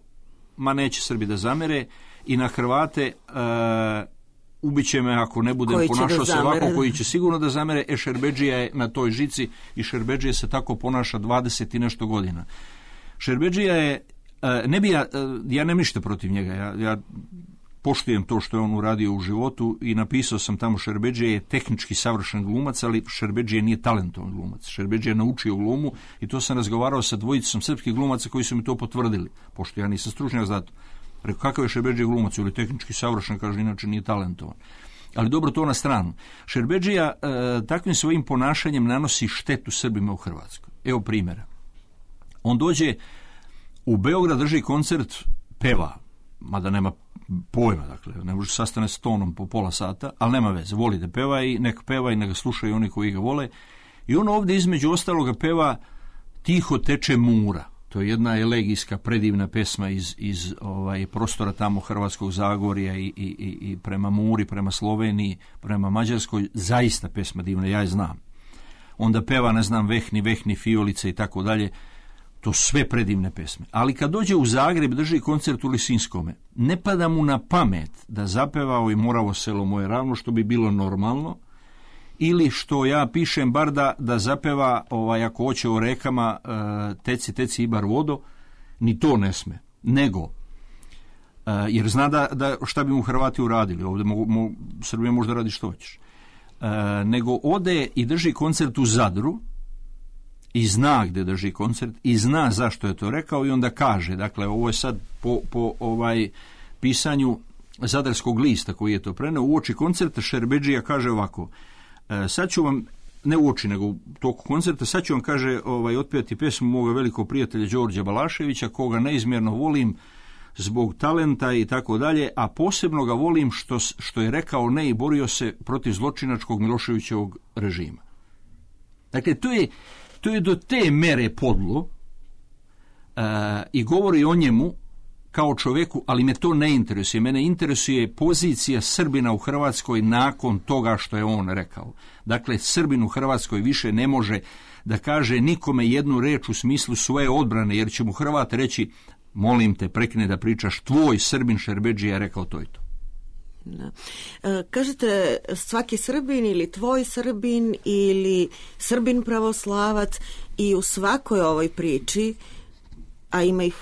ma neće Srbi da zamere, i na Hrvate ubiće me ako ne budem ponašao se ovako, koji će sigurno da zamere. Šerbedžija je na toj žici i Šerbedžija se tako ponaša 20 i nešto godina. Šerbedžija je, ja nemam ništa protiv njega, ja poštujem to što je on uradio u životu i napisao sam tamo Šerbedžija je tehnički savršen glumac, ali Šerbedžija nije talentovan glumac. Šerbedžija je naučio glumu i to sam razgovarao sa dvojicom srpskih glumaca koji su mi to potvrdili, pošto ja nisam stručnjak za to. Rekao, kakav je Šerbedžija glumac, ili tehnički savršen, kaže, inače nije talentovan. Ali dobro, to na stranu. Šerbedžija takvim svojim ponašanjem nanosi štetu Srbima u Hrvatskoj. Evo primjera. On dođe u Beograd, drži koncert, peva, mada nema pojma, dakle, ne može sastane s tonom po pola sata, ali nema veze, voli da peva i neka slušaju oni koji ga vole. I on ovdje između ostaloga peva Tiho teče Mura. To je jedna elegijska, predivna pesma iz prostora tamo Hrvatskog Zagorja i prema Muri, prema Sloveniji, prema Mađarskoj, zaista pesma divna, ja je znam. Onda peva, ne znam, Vehni, Fijolice i tako dalje, to sve predivne pesme. Ali kad dođe u Zagreb, drži koncert u Lisinskome, ne pada mu na pamet da zapevao i Moravo selo moje ravno, što bi bilo normalno, ili što ja pišem bar da zapeva, ako hoće o rekama, teci ibar vodo, ni to ne sme. Nego, jer zna da šta bi mu Hrvati uradili, ovdje Srbija možda radi što hoćeš. Nego ode i drži koncert u Zadru, i zna gdje drži koncert, i zna zašto je to rekao, i onda kaže, dakle, ovo je sad po pisanju Zadarskog lista koji je to preneo, uoči koncerta Šerbedžija kaže ovako, sad ću vam, ne uoči, nego u toku koncerta, sad ću vam, kaže, otpevati pesmu moga velikog prijatelja Đorđa Balaševića, koga neizmjerno volim zbog talenta i tako dalje, a posebno ga volim što je rekao ne i borio se protiv zločinačkog Miloševićevog režima. Dakle, to je do te mere podlo i govori o njemu kao čovjeku, ali me to ne interesuje. Mene interesuje pozicija Srbina u Hrvatskoj nakon toga što je on rekao. Dakle, Srbin u Hrvatskoj više ne može da kaže nikome jednu reč u smislu svoje odbrane, jer će mu Hrvat reći, molim te, prekine da pričaš, tvoj Srbin Šerbedžija je rekao to i to. Da. Kažete, svaki Srbin ili tvoj Srbin ili Srbin pravoslavac, i u svakoj ovoj priči, a ima ih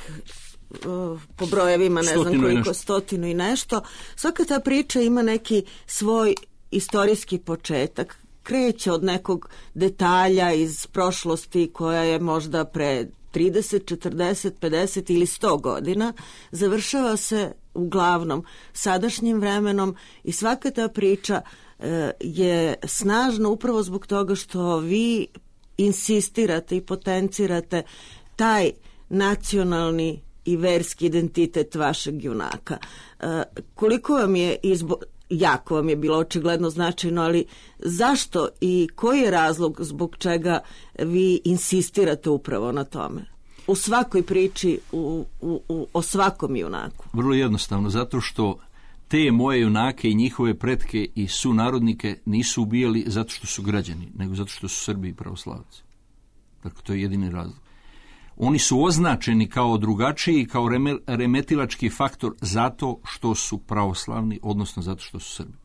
po brojevima, ne znam koliko, 100 i nešto, svaka ta priča ima neki svoj istorijski početak, kreće od nekog detalja iz prošlosti koja je možda pre 30, 40, 50 ili 100 godina, završava se uglavnom sadašnjim vremenom, i svaka ta priča je snažna upravo zbog toga što vi insistirate i potencirate taj nacionalni i verski identitet vašeg junaka. Koliko vam je jako vam je bilo očigledno značajno, ali zašto i koji je razlog zbog čega vi insistirate upravo na tome? U svakoj priči, o svakom junaku. Vrlo jednostavno, zato što te moje junake i njihove pretke i sunarodnike nisu ubijali zato što su građani, nego zato što su Srbi i pravoslavci. Dakle, to je jedini razlog. Oni su označeni kao drugačiji, kao remetilački faktor zato što su pravoslavni, odnosno zato što su Srbi.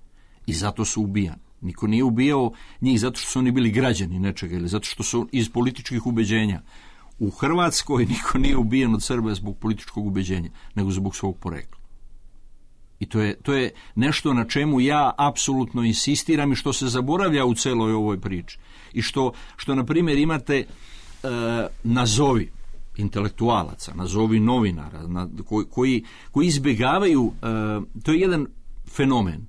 I zato su ubijani. Niko nije ubijao njih zato što su oni bili građani nečega ili zato što su iz političkih ubeđenja. U Hrvatskoj niko nije ubijen od Srba zbog političkog ubeđenja, nego zbog svog porekla. I to je nešto na čemu ja apsolutno insistiram i što se zaboravlja u celoj ovoj priči. I što na primjer, imate nazovi intelektualaca, nazovi novinara, koji izbjegavaju, to je jedan fenomen,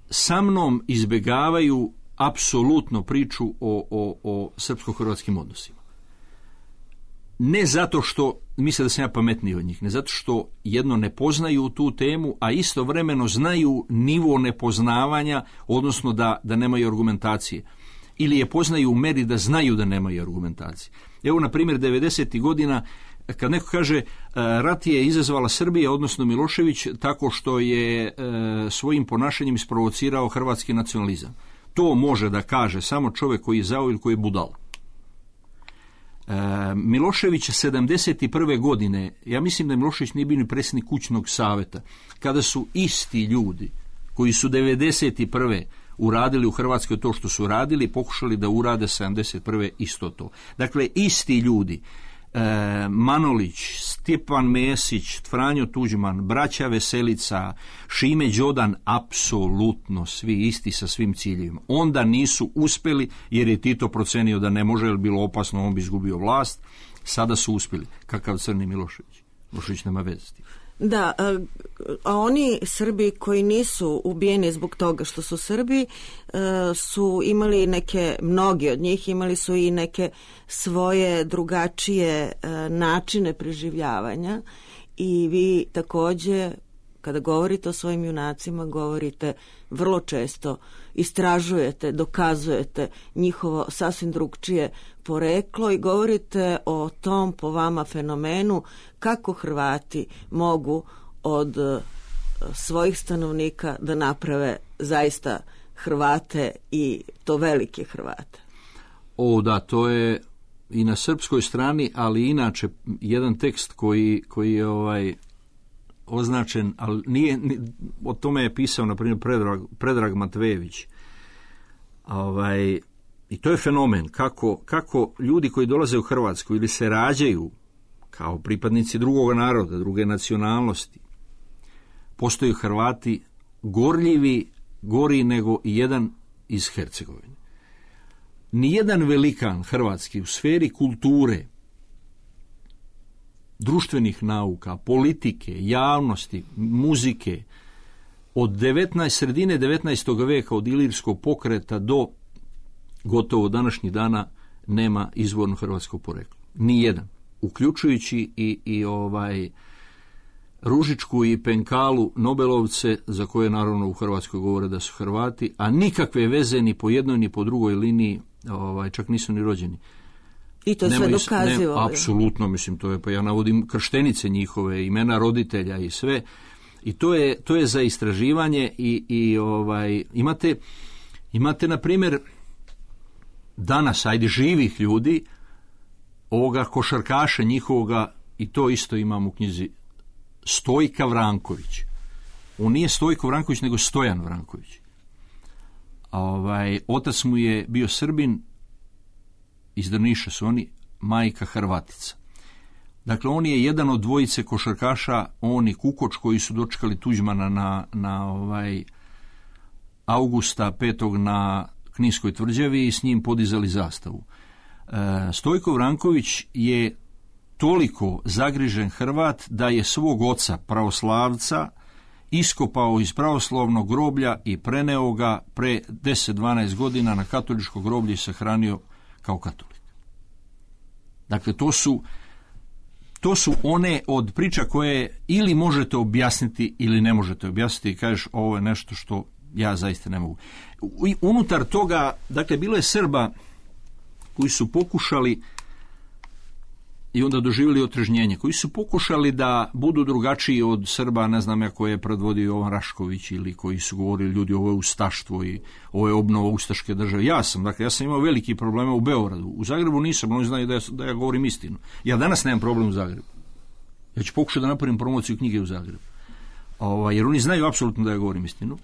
sa mnom izbjegavaju apsolutno priču o srpsko-hrvatskim odnosima. Ne zato što misle da sam ja pametniji od njih, ne zato što jedno ne poznaju tu temu, a istovremeno znaju nivo nepoznavanja, odnosno da nemaju argumentacije. Ili je poznaju u meri da znaju da nemaju argumentacije. Evo, na primjer, 90. godina, kad neko kaže rat je izazvala Srbija, odnosno Milošević, tako što je svojim ponašanjem isprovocirao hrvatski nacionalizam. To može da kaže samo čovjek koji je zao ili koji je budal. Milošević 71. godine, ja mislim da Milošević nije bio ni predsjednik kućnog savjeta, kada su isti ljudi koji su 91. uradili u Hrvatskoj to što su radili, pokušali da urade 71. isto to. Dakle, isti ljudi, Manolić, Stjepan Mesić, Franjo Tuđman, braća Veselica, Šime Đodan, apsolutno svi isti sa svim ciljevima. Onda nisu uspjeli jer je Tito procenio da ne može, jer bilo opasno, on bi izgubio vlast. Sada su uspjeli. Kakav crni Milošević? Milošević nema veze s tim. Da, a oni Srbi koji nisu ubijeni zbog toga što su Srbi su imali mnogi od njih imali su i neke svoje drugačije načine preživljavanja i vi također kada govorite o svojim junacima govorite vrlo često, istražujete, dokazujete njihovo sasvim drugčije poreklo i govorite o tom po vama fenomenu kako Hrvati mogu od svojih stanovnika da naprave zaista Hrvate i to velike Hrvate. Da, to je i na srpskoj strani, ali inače jedan tekst koji je označen, ali nije, o tome je pisao na primjer Predrag Matvejević. I to je fenomen kako ljudi koji dolaze u Hrvatsku ili se rađaju kao pripadnici drugog naroda, druge nacionalnosti, postaju Hrvati gorljivi, gori nego i jedan iz Hercegovine. Nijedan velikan hrvatski u sferi kulture, društvenih nauka, politike, javnosti, muzike, od sredine 19. veka, od ilirskog pokreta do gotovo današnjih dana nema izvorno hrvatsko poreklo. Nijedan. Uključujući i Ružičku i Penkalu, Nobelovce, za koje naravno u Hrvatskoj govore da su Hrvati, a nikakve veze ni po jednoj ni po drugoj liniji, čak nisu ni rođeni. I to je sve dokazivo. Apsolutno, mislim, to je, pa ja navodim krštenice njihove, imena roditelja i sve. I to je za istraživanje i imate na primjer danas, živih ljudi, ovoga košarkaša njihovoga, i to isto imam u knjizi, Stojka Vranković. On nije Stojko Vranković, nego Stojan Vranković. Otac mu je bio Srbin, iz Drniša su oni, majka Hrvatica. Dakle, on je jedan od dvojice košarkaša, on i Kukoč, koji su dočekali Tuđmana na Augusta 5. na Kninskoj tvrđavi i s njim podizali zastavu. Stojko Vranković je toliko zagrižen Hrvat da je svog oca, pravoslavca, iskopao iz pravoslavnog groblja i preneo ga pre 10-12 godina na katoličko groblje i sahranio kao katolik. Dakle, to su one od priča koje ili možete objasniti ili ne možete objasniti i kažeš ovo je nešto što ja zaista ne mogu. Unutar toga, dakle, bilo je Srba koji su pokušali i onda doživjeli otrežnjenje, koji su pokušali da budu drugačiji od Srba, ne znam ja, koje je predvodio Jovan Rašković ili koji su govorili ljudi ovo je ustaštvo i ovo je obnova ustaške države. Ja sam imao veliki problema u Beogradu. U Zagrebu nisam, oni znaju da ja govorim istinu. Ja danas nemam problem u Zagrebu. Ja ću pokušati da napravim promociju knjige u Zagrebu. Jer oni znaju apsolutno da ja govorim istinu.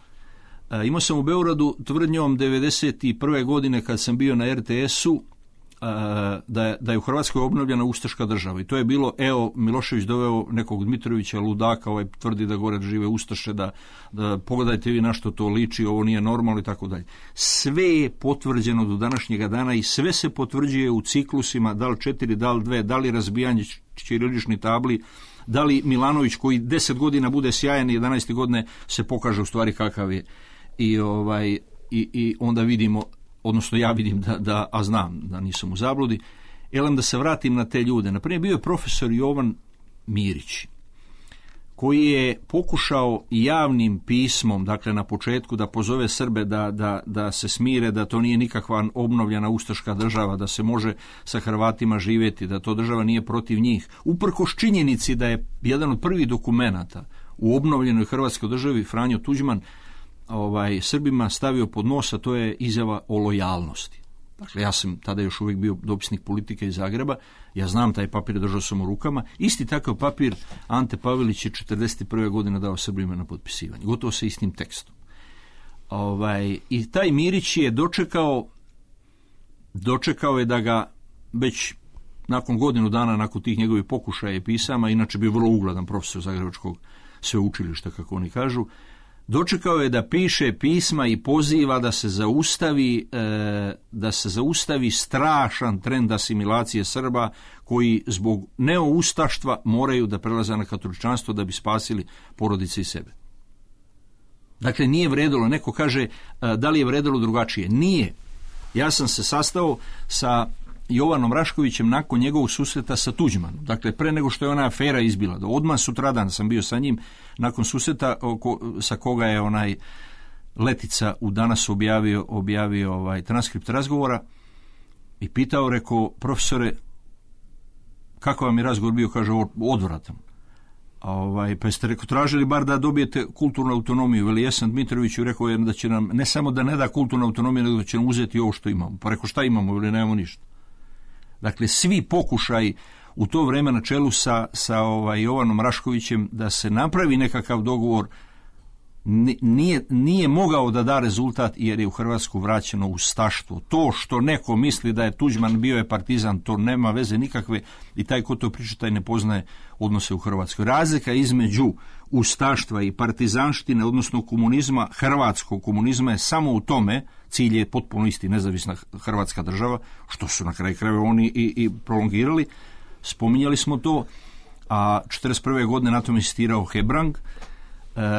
Imao sam u Beogradu tvrdnjom 91. godine kad sam bio na RTS-u da je u Hrvatskoj obnovljena ustaška država. I to je bilo, Milošević doveo nekog Dmitrovića ludaka, tvrdi da gore žive ustaše, da pogledajte vi na što to liči, ovo nije normalno i tako dalje. Sve je potvrđeno do današnjega dana i sve se potvrđuje u ciklusima, da li 4, da li 2, da li razbijanje ćiriličnih tabli, da li Milanović koji 10 godina bude sjajan i 11. godine se pokaže u stvari kakav je. I onda vidimo, odnosno ja vidim a znam da nisam u zabludi, da se vratim na te ljude. Naprimjer, bio je profesor Jovan Mirić, koji je pokušao javnim pismom, dakle na početku, da pozove Srbe da se smire, da to nije nikakva obnovljena ustaška država, da se može sa Hrvatima živjeti, da to država nije protiv njih. Uprkos činjenici da je jedan od prvih dokumenata u obnovljenoj Hrvatskoj državi Franjo Tuđman Srbima stavio pod nos, a to je izjava o lojalnosti. Dakle, ja sam tada još uvijek bio dopisnik Politike iz Zagreba, ja znam taj papir, držao sam u rukama. Isti takav papir Ante Pavelić je 1941. godine dao Srbima na potpisivanje, gotovo sa istim tekstom. I taj Mirić je dočekao je da ga već nakon godinu dana, nakon tih njegovih pokušaja i pisama, inače bio vrlo ugledan profesor Zagrebačkog sveučilišta, kako oni kažu, dočekao je da piše pisma i poziva da se zaustavi strašan trend asimilacije Srba koji zbog neoustaštva moraju da prelaze na katoličanstvo da bi spasili porodice i sebe. Dakle, nije vredilo, neko kaže da li je vredilo drugačije. Nije. Ja sam se sastao sa Jovanom Raškovićem nakon njegovog susreta sa Tuđmanom. Dakle, pre nego što je ona afera izbila. Odmah sutradan sam bio sa njim nakon susreta sa koga je onaj Letica u Danas objavio transkript razgovora i pitao, rekao, profesore, kako vam je razgovor bio? Kaže, odvratan. Pa jeste, rekao, tražili bar da dobijete kulturnu autonomiju. Veli, jesam Dmitroviću, rekao je da će nam, ne samo da ne da kulturnu autonomiju, nego da će nam uzeti ovo što imamo. Pa rekao, šta imamo? Veli, nemamo ništa. Dakle, svi pokušaj u to vreme na čelu sa Jovanom Raškovićem da se napravi nekakav dogovor nije mogao da da rezultat, jer je u Hrvatsku vraćeno ustaštvo. To što neko misli da je Tuđman bio je partizan, to nema veze nikakve, i taj ko to priča, taj ne poznaje odnose u Hrvatskoj. Razlika između ustaštva i partizanštine, odnosno komunizma, hrvatskog komunizma, je samo u tome, cilj je potpuno isti, nezavisna Hrvatska država, što su na kraju krajeva oni i prolongirali. Spominjali smo to, a 1941. godine na tome insistirao Hebrang.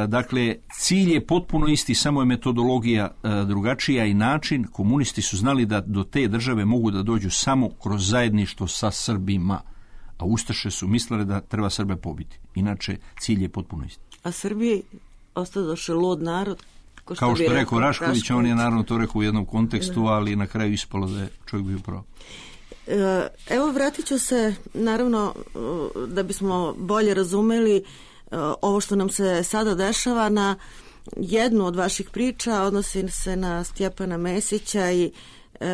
Dakle, cilj je potpuno isti, samo je metodologija drugačija i način. Komunisti su znali da do te države mogu da dođu samo kroz zajedništvo sa Srbima, a ustaše su mislili da treba Srbe pobiti. Inače, cilj je potpuno isti. A Srbiji ostadoše lud narod? Kao što rekao Rašković, on je naravno to rekao u jednom kontekstu, ali na kraju ispalo da je čovjek bio pravo. Evo, vratit ću se, naravno, da bismo bolje razumeli ovo što nam se sada dešava, na jednu od vaših priča, odnosi se na Stjepana Mesića i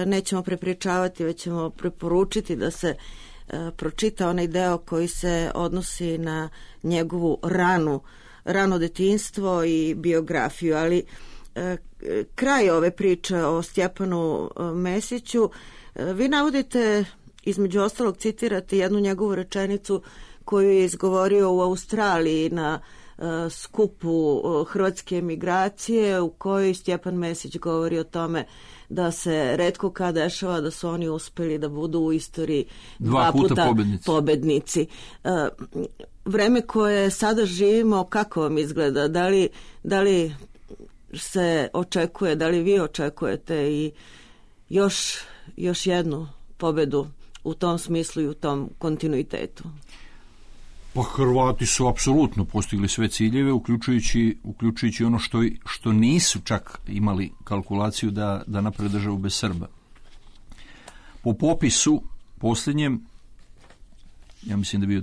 nećemo prepričavati, već ćemo preporučiti da se pročita onaj deo koji se odnosi na njegovu rano detinjstvo i biografiju, ali kraj ove priče o Stjepanu Mesiću, vi navodite, između ostalog citirate jednu njegovu rečenicu koju je izgovorio u Australiji na skupu hrvatske emigracije, u kojoj Stjepan Mesić govori o tome da se retko kad dešava da su oni uspeli da budu u istoriji dva puta pobednici. Vreme koje sada živimo, kako vam izgleda? Da li se očekuje, da li vi očekujete i još jednu pobedu u tom smislu i u tom kontinuitetu? Pa Hrvati su apsolutno postigli sve ciljeve, uključujući ono što nisu čak imali kalkulaciju da naprave državu bez Srba. Po popisu posljednjem, ja mislim da je bio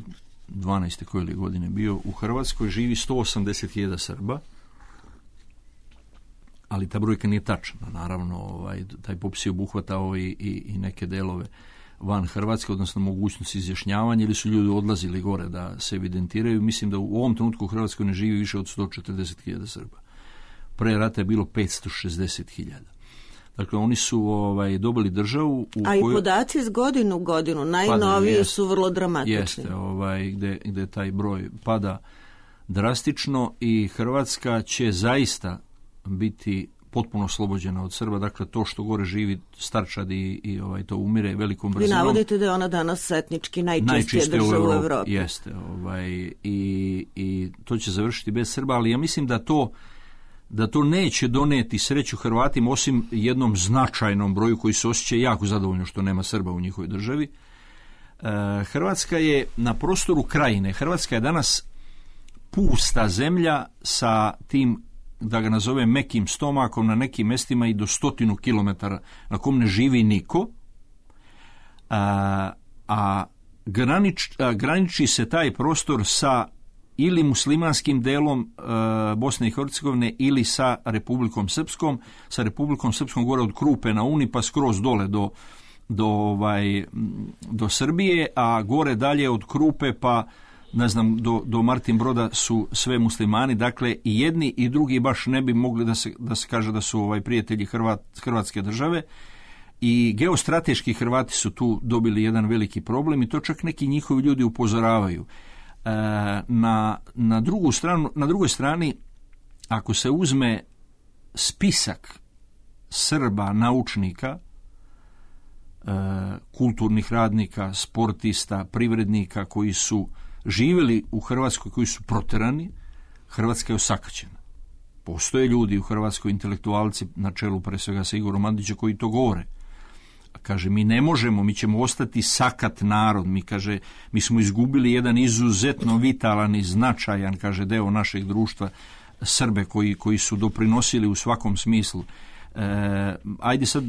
12. koje li godine bio, u Hrvatskoj živi 180.000 Srba, ali ta brojka nije tačna. Naravno, taj popis je obuhvatao i neke delove van Hrvatske, odnosno mogućnost izjašnjavanja, ili su ljudi odlazili gore da se evidentiraju. Mislim da u ovom trenutku u Hrvatskoj ne živi više od 140.000 Srba. Pre rata je bilo 560.000. Dakle, oni su dobili državu i podaci iz godinu u godinu, najnoviji su vrlo dramatični. Jeste, gde taj broj pada drastično i Hrvatska će zaista biti potpuno oslobođena od Srba. Dakle, to što gore živi starčad i to umire velikom brzinom. Vi navodite da je ona danas etnički najčistija država u Evropi. Jeste. I to će završiti bez Srba, ali ja mislim da to neće doneti sreću Hrvatima, osim jednom značajnom broju koji se osjeća jako zadovoljno što nema Srba u njihovoj državi. Hrvatska je na prostoru Krajine. Hrvatska je danas pusta zemlja sa tim, da ga nazovem, mekim stomakom, na nekim mestima i do 100 kilometara na kom ne živi niko, graniči se taj prostor sa ili muslimanskim delom Bosne i Hercegovine ili sa Republikom Srpskom. Sa Republikom Srpskom gore od Krupe na Uni pa skroz dole do Srbije, a gore dalje od Krupe pa ne znam do Martin Broda su sve muslimani. Dakle, i jedni i drugi baš ne bi mogli da se kaže da su prijatelji Hrvatske države. I geostrateški Hrvati su tu dobili jedan veliki problem i to čak neki njihovi ljudi upozoravaju. Na drugoj strani, ako se uzme spisak Srba, naučnika, kulturnih radnika, sportista, privrednika koji su živjeli u Hrvatskoj, koji su proterani, Hrvatska je osakaćena. Postoje ljudi u Hrvatskoj, intelektualci na čelu pre svega sa Igorom Mandićem koji to govore. Kaže, mi ne možemo, mi ćemo ostati sakat narod. Mi smo izgubili jedan izuzetno vitalan i značajan, deo našeg društva, Srbe koji su doprinosili u svakom smislu. Ajde sad,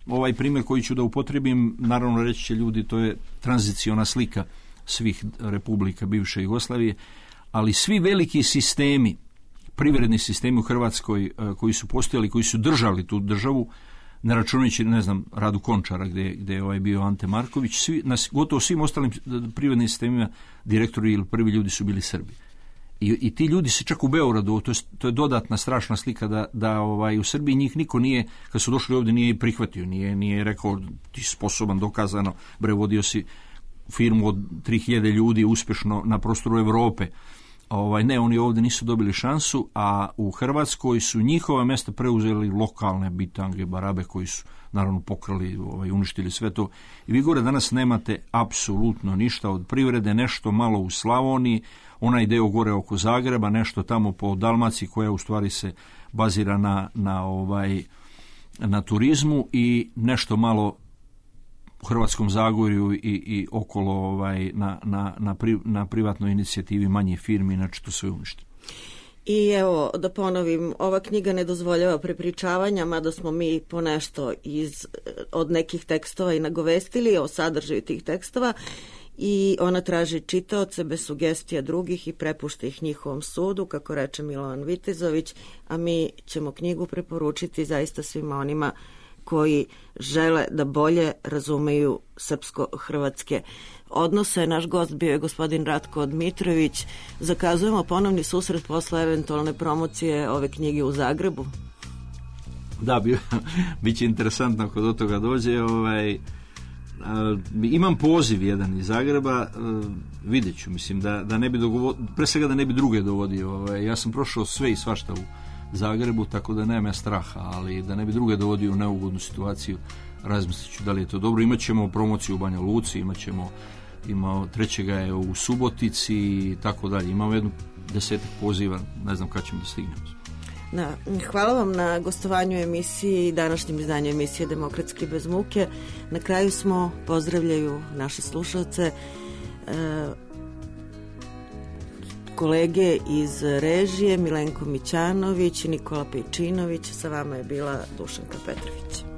ovaj primjer koji ću da upotrebim, naravno reći će ljudi, to je tranziciona slika svih republika bivše Jugoslavije, ali svi veliki sistemi, privredni sistemi u Hrvatskoj koji su postojali, koji su držali tu državu, ne računajući, Radu Končara gdje je bio Ante Marković, gotovo svim ostalim privrednim sistemima direktori ili prvi ljudi su bili Srbi. I ti ljudi se čak u Beogradu, to je dodatna strašna slika da u Srbiji njih niko nije, kad su došli ovdje, nije prihvatio, nije rekao ti si sposoban, dokazano, vodio si firmu od 3000 ljudi uspješno na prostoru Europe. Ne, oni ovdje nisu dobili šansu, a u Hrvatskoj su njihova mjesta preuzeli lokalne bitange, barabe koji su naravno pokrali, uništili sve to. I vi gore danas nemate apsolutno ništa od privrede, nešto malo u Slavoniji, onaj deo gore oko Zagreba, nešto tamo po Dalmaciji koja u stvari se bazira na turizmu i nešto malo u Hrvatskom Zagorju i okolo na privatnoj inicijativi manje firmi, inače to sve uništi. I evo, da ponovim, ova knjiga ne dozvoljava prepričavanja, mada smo mi ponešto od nekih tekstova i nagovestili o sadržaju tih tekstova, i ona traži čitaoce bez sugestija drugih i prepušta ih njihovom sudu, kako reče Milovan Vitezović, a mi ćemo knjigu preporučiti zaista svima onima koji žele da bolje razumeju srpsko-hrvatske odnose. Naš gost bio je gospodin Ratko Dmitrović. Zakazujemo ponovni susret posle eventualne promocije ove knjige u Zagrebu. Da, bit će interesantno ako do toga dođe. Imam poziv jedan iz Zagreba, vidjet ću, mislim da ne bi pre svega da ne bi druge dovodio. Ja sam prošao sve i svašta u Zagrebu, tako da nema straha, ali da ne bi druge dovodio u neugodnu situaciju, razmislit ću da li je to dobro. Imaćemo promociju u Banja Luci, trećega je u Subotici i tako dalje. Imamo 10 poziva, ne znam kad ćemo da stignemo. Hvala vam na gostovanju emisiji i današnjem izdanju emisije Demokratski bez muke. Na kraju smo, pozdravljaju naše slušalce, kolege iz režije Milenko Mićanović i Nikola Pejčinović. Sa vama je bila Dušanka Petrović.